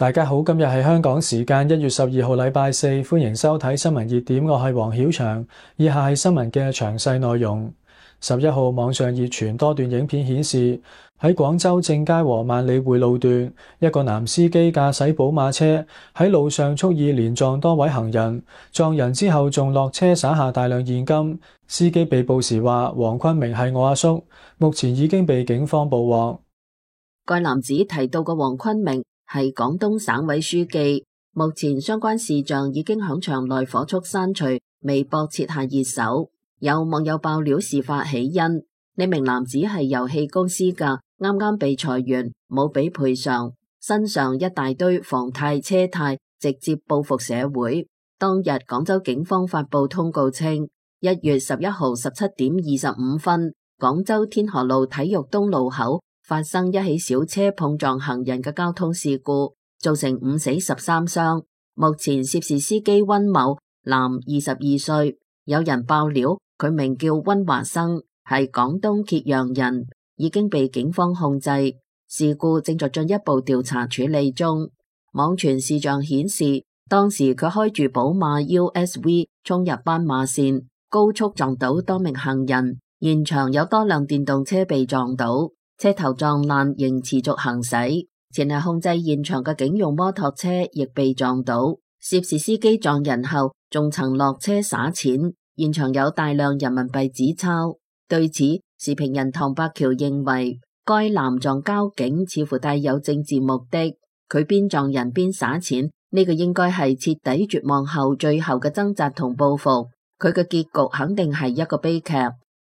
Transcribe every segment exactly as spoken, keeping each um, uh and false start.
大家好，今日係香港時間一月十二號禮拜四，歡迎收睇新聞熱點，我係黃曉翔。以下係新聞嘅詳細內容。十一號網上熱傳多段影片顯示，喺廣州正佳和萬里匯路段，一個男司機駕駛寶馬車喺路上蓄意連撞多位行人，撞人之後仲落車灑下大量現金。司機被捕時話：黃坤明係我阿叔，目前已經被警方捕獲。該男子提到嘅黃坤明係廣東省委書記，目前相關視像已經響場內火速刪除，微博設下熱搜。有網友爆料事發起因，呢名男子係遊戲公司㗎，啱啱被裁員，冇俾賠償，身上一大堆房貸車貸，直接報復社會。當日廣州警方發布通告稱，一月十一號十七點二十五分，廣州天河路體育東路口發生一起小車碰撞行人嘅交通事故，造成五死十三傷。目前涉事司機溫某，男，二十二歲。有人爆料佢名叫溫華生，係廣東揭陽人，已經被警方控制。事故正在進一步調查處理中。網傳視像顯示，當時佢開住寶馬 U S V 衝入斑馬線，高速撞到多名行人，現場有多輛電動車被撞倒，車頭撞爛仍持續行駛。前嚟控制現場嘅警用摩托車亦被撞倒，涉事司機撞人後仲曾落車灑錢，現場有大量人民幣紙鈔。對此，時評人唐伯橋認為，該男撞交警似乎帶有政治目的，佢邊撞人邊灑錢，呢個應該係徹底絕望後最後嘅掙扎同報復，佢嘅結局肯定係一個悲劇。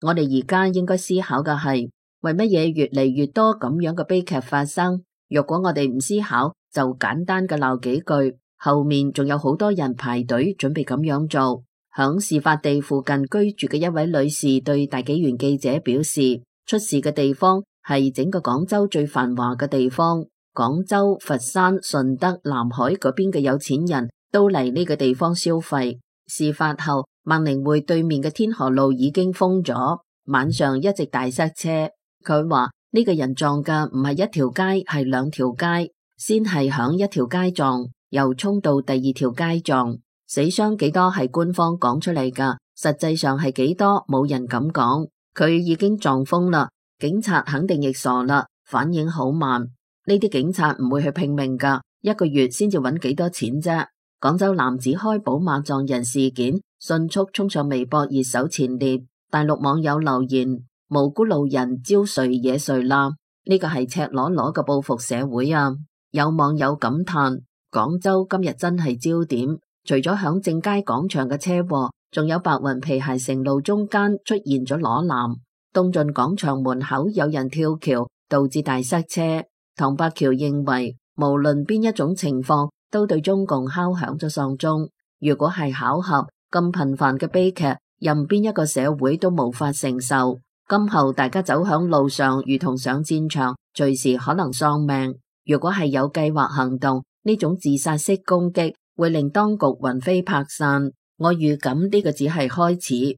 我哋而家應該思考嘅係，為乜嘢越嚟越多咁樣嘅悲劇發生？若果我哋唔思考，就簡單嘅鬧幾句，後面仲有好多人排隊準備咁樣做。響事發地附近居住嘅一位女士對大紀元記者表示，出事嘅地方係整個廣州最繁華嘅地方，廣州、佛山、順德、南海嗰邊嘅有錢人都嚟呢個地方消費。事發後，萬寧匯對面嘅天河路已經封咗，晚上一直大塞車。佢話呢個人撞嘅唔係一條街，係兩條街，先係響一條街撞，又衝到第二條街撞。死傷幾多係官方講出嚟噶，實際上係幾多冇人敢講。佢已經撞瘋啦，警察肯定亦傻啦，反應好慢。呢啲警察唔會去拼命噶，一個月先至揾幾多錢啫。廣州男子開寶馬撞人事件迅速衝上微博熱搜前列，大陸網友留言：無辜路人招誰惹誰啦？呢個係赤裸裸嘅報復社會啊！有網友感嘆：廣州今日真係焦點。除咗響正佳廣場嘅車禍，仲有白雲皮鞋城路中間出現咗裸男，東晉廣場門口有人跳橋，導致大塞車。唐伯橋認為，無論邊一種情況，都對中共敲響咗喪鐘。如果係巧合，咁頻繁嘅悲劇，任邊一個社會都無法承受。今後大家走響路上，如同上戰場，隨時可能喪命。如果係有計劃行動，呢種自殺式攻擊會令當局魂飛魄散，我預感呢個只係開始。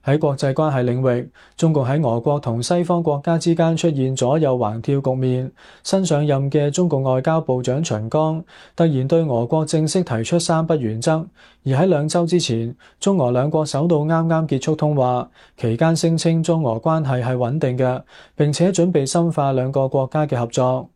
喺國際關係領域，中共喺俄國同西方國家之間出現左右橫跳局面。新上任嘅中共外交部長秦剛突然對俄國正式提出三不原則，而喺兩週之前，中俄兩國首腦啱啱結束通話，期間聲稱中俄關係係穩定嘅，並且準備深化兩個國家嘅合作。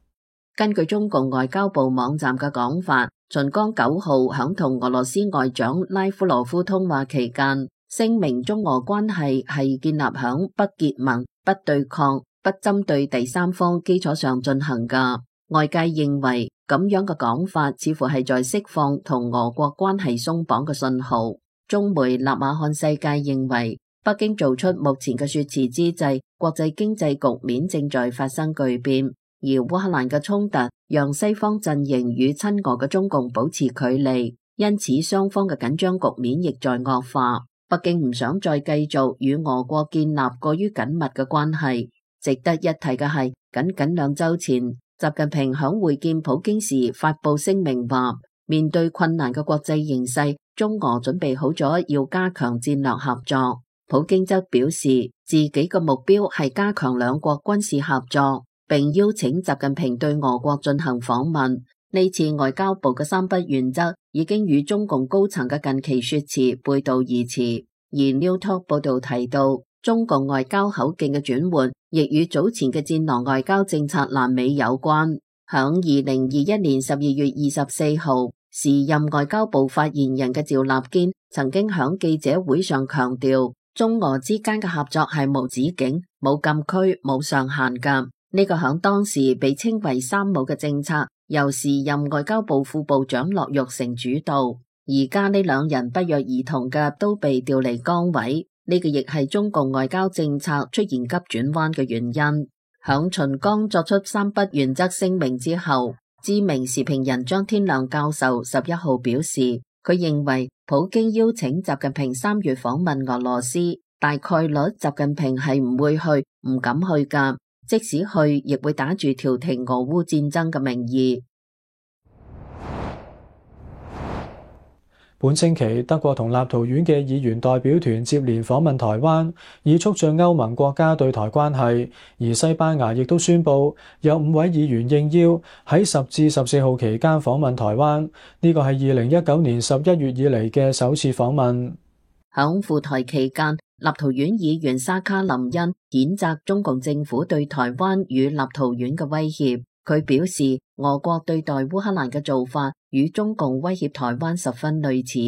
根據中共外交部網站嘅講法，秦剛九號響同俄羅斯外長拉夫羅夫通話期間，聲明中俄關係係建立響不結盟、不對抗、不針對第三方基礎上進行㗎。外界認為咁樣嘅講法似乎係在釋放同俄國關係鬆綁嘅信號。中媒納瓦漢世界認為，北京做出目前嘅說辭之際，國際經濟局面正在發生巨變。而烏克蘭嘅衝突讓西方陣營與親俄嘅中共保持距離，因此雙方嘅緊張局面亦在惡化。北京唔想再繼續與俄國建立過於緊密嘅關係。值得一提嘅係，僅僅兩週前，習近平響會見普京時發佈聲明話，面對困難嘅國際形勢，中俄準備好咗要加強戰略合作。普京則表示，自己嘅目標係加強兩國軍事合作。並邀請習近平對俄國進行訪問。呢次外交部嘅三不原則已經與中共高層嘅近期說辭背道而馳。而 New Talk 報道提到，中共外交口徑嘅轉換，亦與早前嘅戰狼外交政策爛尾有關。響二零二一年十二月二十四號，時任外交部發言人嘅趙立堅曾經響記者會上強調，中俄之間嘅合作係無止境、冇禁區、冇上限㗎。呢個響當時被稱為三冇嘅政策，由時任外交部副部長駱玉成主導。而家呢兩人不約而同嘅都被調離崗位，呢個亦係中共外交政策出現急轉彎嘅原因。響秦剛作出三不原則聲明之後，知名時評人張天亮教授十一號表示，佢認為普京邀請習近平三月訪問俄羅斯，大概率習近平係唔會去、唔敢去噶，即使去，亦會打住調停俄烏戰爭嘅名義。本星期，德國同立陶宛嘅議員代表團接連訪問台灣，以促進歐盟國家對台關係。而西班牙亦都宣布有五位議員應邀喺十至十四號期間訪問台灣，呢個係二零一九年十一月以嚟嘅首次訪問。響赴台期間，立陶宛議員沙卡林恩譴責中共政府對台灣與立陶宛嘅威脅。佢表示，俄國對待烏克蘭嘅做法與中共威脅台灣十分類似，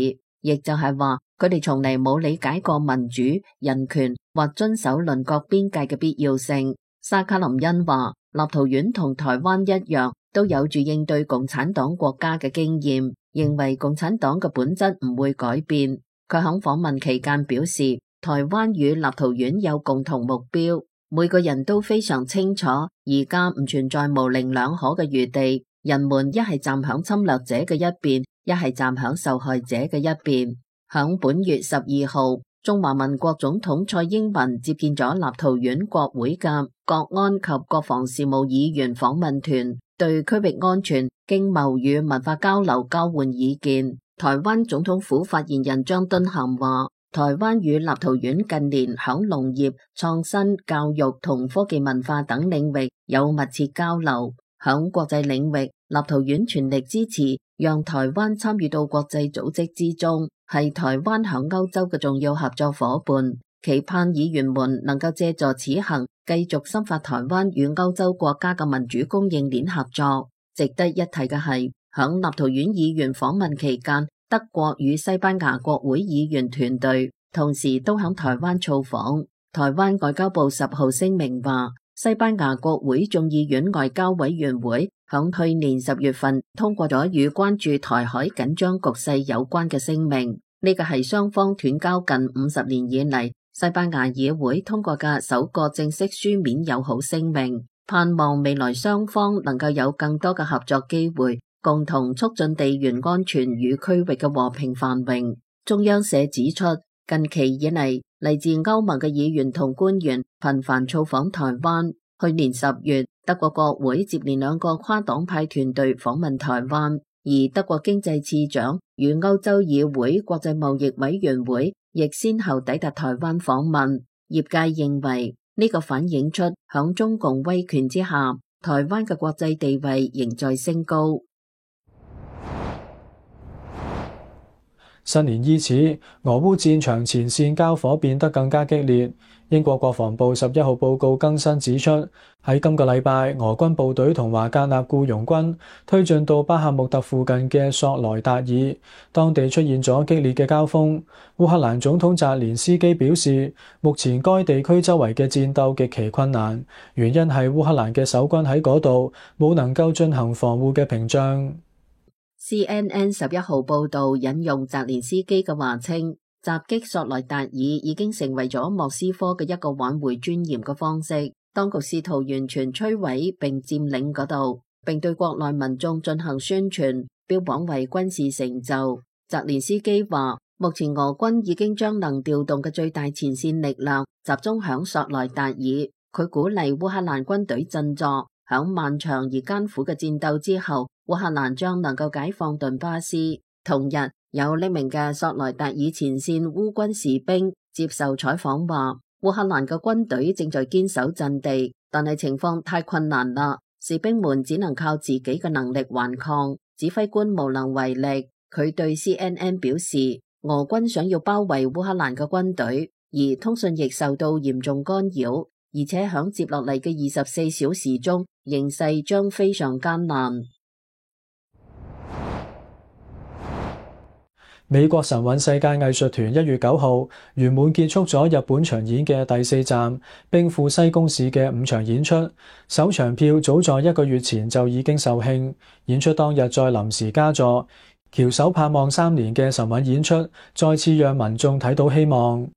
亦就係話佢哋從嚟冇理解過民主、人權或遵守鄰國邊界嘅必要性。沙卡林恩話，立陶宛同台灣一樣，都有住應對共產黨國家嘅經驗，認為共產黨嘅本質唔會改變。佢喺訪問期間表示，台灣與立陶宛有共同目標。每個人都非常清楚，而家唔存在模棱兩可嘅餘地。人們一係站響侵略者嘅一邊，一係站響受害者嘅一邊。響本月十二號，中華民國總統蔡英文接見咗立陶宛國會嘅國安及國防事務議員訪問團，對區域安全、經貿與文化交流交換意見。台灣總統府發言人張敦涵話，台灣與立陶宛近年響農業、創新、教育同科技文化等領域有密切交流。響國際領域，立陶宛全力支持，讓台灣參與到國際組織之中，係台灣響歐洲嘅重要合作夥伴。期盼議員們能夠借助此行，繼續深化台灣與歐洲國家嘅民主供應鏈合作。值得一提嘅係，響立陶宛議員訪問期間，德國與西班牙國會議員團隊同時都響台灣造訪。台灣外交部十號聲明話，西班牙國會眾議院外交委員會響去年十月份通過咗與關注台海緊張局勢有關嘅聲明，呢個係雙方斷交近五十年以嚟西班牙議會通過嘅首個正式書面友好聲明，盼望未來雙方能夠有更多嘅合作機會，共同促進地緣安全與區域嘅和平繁榮。中央社指出，近期以嚟，嚟自歐盟嘅議員同官員頻繁造訪台灣。去年十月，德國國會接連兩個跨黨派團隊訪問台灣，而德國經濟次長與歐洲議會國際貿易委員會亦先後抵達台灣訪問。業界認為呢個反映出響中共威權之下，台灣嘅國際地位仍在升高。新年伊始，俄烏戰場前線交火變得更加激烈。英國國防部十一號報告更新指出，喺今個禮拜，俄軍部隊同華格納僱傭軍推進到巴赫穆特附近嘅索萊達爾，當地出現咗激烈嘅交鋒。烏克蘭總統澤連斯基表示，目前該地區周圍嘅戰鬥極其困難，原因係烏克蘭嘅守軍喺嗰度冇能夠進行防護嘅屏障。C N N 十一號報道引用澤連斯基嘅話稱，襲擊索萊達爾已經成為咗莫斯科嘅一個挽回尊嚴嘅方式。當局試圖完全摧毀並佔領嗰度，並對國內民眾進行宣傳，標榜為軍事成就。澤連斯基話，目前俄軍已經將能調動嘅最大前線力量集中響索萊達爾。佢鼓勵烏克蘭軍隊振作，響漫長而艱苦嘅戰鬥之後，烏克蘭將能夠解放頓巴斯。同日，有匿名嘅索萊達爾前線烏軍士兵接受採訪話，烏克蘭嘅軍隊正在堅守陣地，但係情況太困難啦，士兵們只能靠自己嘅能力頑抗，指揮官無能為力。佢對 C N N 表示，俄軍想要包圍烏克蘭嘅軍隊，而通訊亦受到嚴重干擾，而且響接落嚟嘅二十四小時中，形勢將非常艱難。美國神韻世界藝術團一月九號圓滿結束咗日本巡演嘅第四站兵庫西宮市嘅五場演出，首場票早在一個月前就已經售罄，演出當日再臨時加座，翹首盼望三年嘅神韻演出再次讓民眾睇到希望。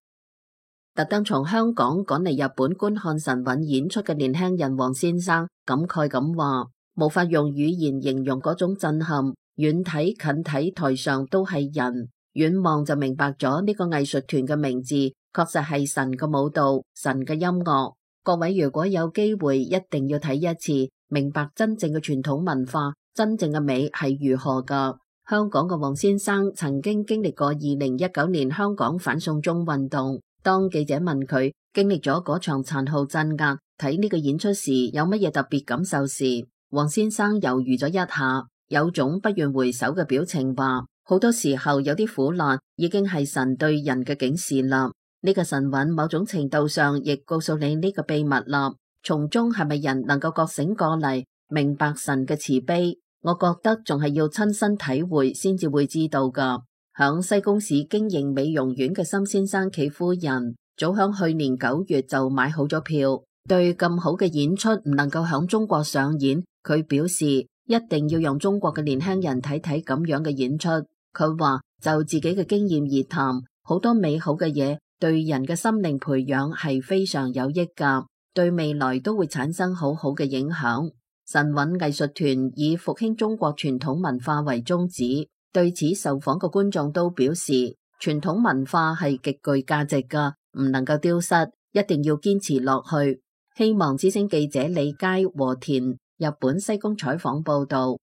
特登從香港趕嚟日本觀看神韻演出嘅年輕人黃先生感慨咁話，無法用語言形容嗰種震撼。遠睇近睇，台上都係人，遠望就明白咗呢個藝術團嘅名字，確實係神嘅舞蹈，神嘅音樂。各位如果有機會，一定要睇一次，明白真正嘅傳統文化，真正嘅美係如何噶。香港嘅黃先生曾經經歷過二零一九年香港反送中運動，當記者問佢經歷咗嗰場殘酷鎮壓，睇呢個演出時有乜嘢特別感受時，黃先生猶豫咗一下，有種不願回首嘅表情，話好多時候有啲苦難已經係神對人嘅警示啦。呢個神韻某種程度上亦告訴你呢個秘密啦。從中係咪人能夠覺醒過嚟，明白神嘅慈悲？我覺得仲係要親身體會先至會知道噶。響西宮市經營美容院嘅森先生企夫人，早響去年九月就買好咗票，對咁好嘅演出唔能夠響中國上演，佢表示一定要讓中國嘅年輕人睇睇咁樣嘅演出。佢話就自己嘅經驗而談，好多美好嘅嘢對人嘅心靈培養係非常有益噶，對未來都會產生好好嘅影響。神韻藝術團以復興中國傳統文化為宗旨，對此受訪嘅觀眾都表示，傳統文化係極具價值噶，唔能夠丟失，一定要堅持落去。希望之聲記者李佳和田日本西宮採訪報道。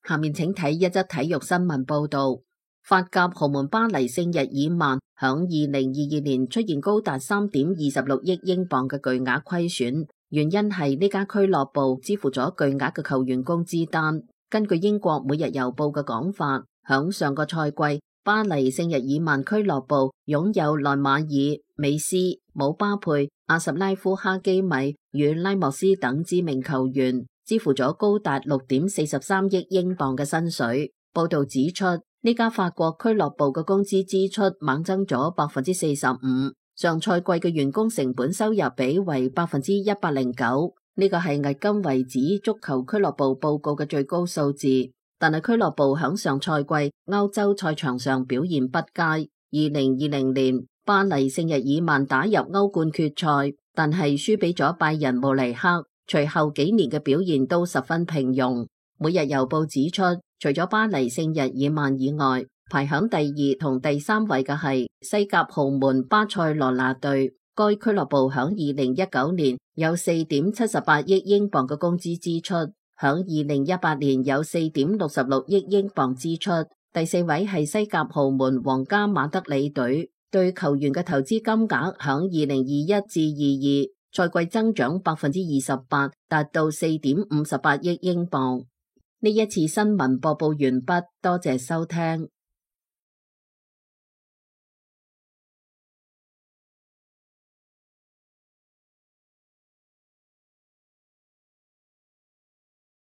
下面請睇一則體育新聞報道。法甲豪門巴黎聖日耳曼響二零二二年出現高達三點二十六億英鎊嘅巨額虧損，原因係呢家俱樂部支付咗巨額嘅球員工資單。根據英國每日郵報嘅講法，響上個賽季，巴黎聖日耳曼俱樂部擁有內馬爾、美斯、姆巴佩、阿什拉夫、哈基米與拉莫斯等知名球員，支付咗高達六點四十三億英鎊嘅薪水。報道指出，呢家法國俱樂部嘅工資支出猛增咗百分之四十五，上賽季嘅員工成本收入比為百分之一百零九，呢個係迄今為止足球俱樂部報告嘅最高數字。但係俱樂部響上賽季歐洲賽場上表現不佳。二零二零年巴黎聖日耳曼打入歐冠決賽，但係輸俾咗拜仁慕尼黑，隨後幾年嘅表現都十分平庸。每日郵報指出，除咗巴黎聖日耳曼以外，排響第二同第三位嘅係西甲豪門巴塞羅那隊。該俱樂部響二零一九年有四點七十八億英鎊嘅工資支出，響二零一八年有四點六十六億英鎊支出。第四位係西甲豪門皇家馬德里隊，對球員嘅投資金額響二零二一至二二賽季增長百分之二十八，達到四點五十八億英鎊。呢一次新聞播報完畢，多謝收聽。